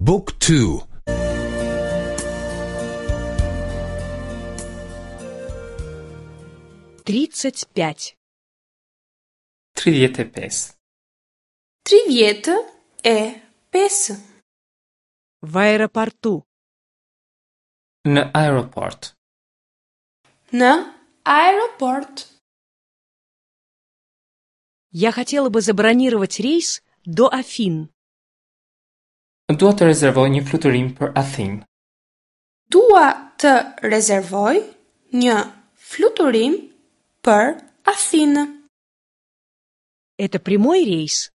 บุ๊กทู35. 35. 35. В аэропорту. Në aeroport. Në аэропорт. Я хотела бы забронировать рейс до Афин. Dua të rezervoj një fluturim për Athinë. Dua të rezervoj një fluturim për Athinë. Это прямой рейс?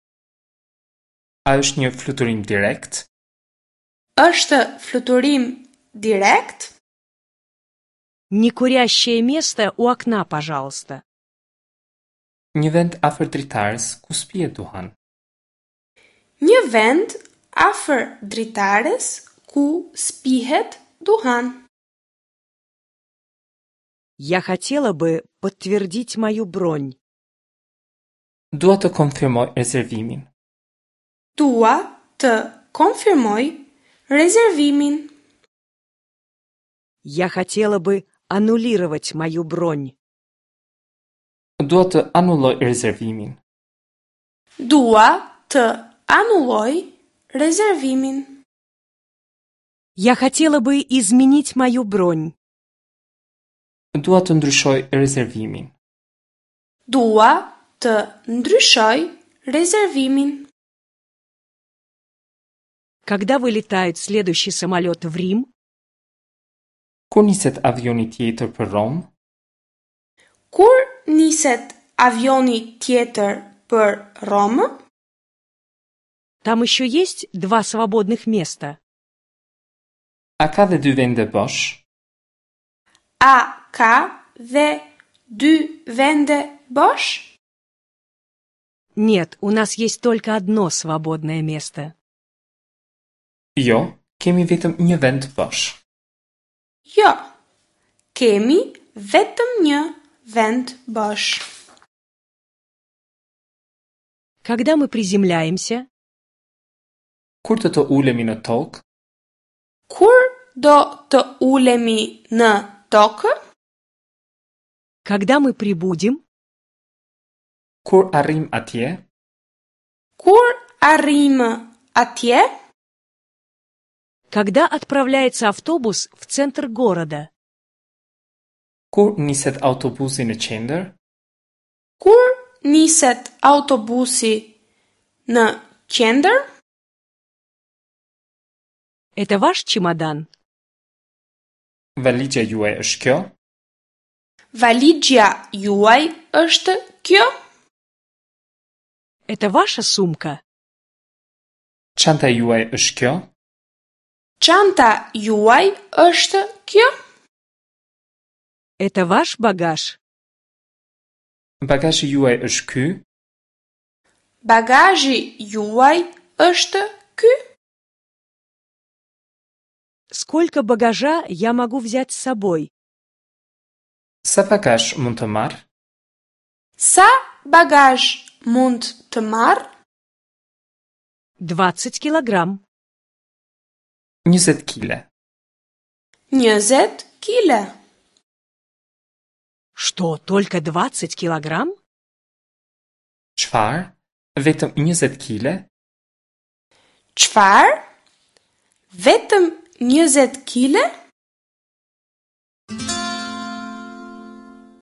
A është një fluturim direkt? Është fluturim direkt? Некурящее место у окна, пожалуйста. Një vend afër dritares ku spihet duhan. Një vend afër dritares ku spihet duhan. Я хотела бы подтвердить мою бронь. Dua të konfirmoj rezervimin. Dua të konfirmoj rezervimin. Я хотела бы аннулировать мою бронь. Dua të anulloj rezervimin. Dua të anulloj rezervimin. Я хотела бы изменить мою бронь. Dua të ndryshoj rezervimin. Dua të ndryshoj rezervimin. Когда вылетает следующий самолет в Рим? Kur niset avioni tjetër për Rom? Kur niset avioni tjetër për Romë? Там еще есть 2 свободных места. A ka dhe 2 vende bosh? A ka dhe 2 vende bosh? Нет, у нас есть только одно свободное место. Jo, kemi vetëm një vend bosh. Jo, kemi vetëm një vend bosh. Когда мы приземляемся? Kur të ulemi në tokë? Kur do të ulemi në tokë? Когда мы прибудем? Kur arrim atje? Kur arrim atje? Когда отправляется автобус в центр города? Kur niset autobusi në qendër? Kur niset autobusi në qendër? Это ваш чемодан? Valigja juaj është kjo? Valigja juaj është kjo? Это ваша сумка? Çanta juaj është kjo? Çanta juaj është kjo? Это ваш багаж? Bagazhi juaj është ky? Bagazhi juaj është ky? Сколько багажа я могу взять с собой? Sa bagazh mund të marr? Sa bagazh mund të marr? 20 килограмм. 20 kg. 20 kg. Что, только 20 килограмм? Çfarë? Vetëm 20 kg? Çfarë? Vetëm 20 kg?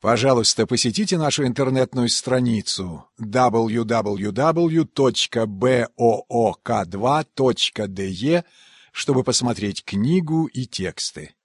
Пожалуйста, посетите нашу интернетную страницу www.book2.de, чтобы посмотреть книгу и тексты.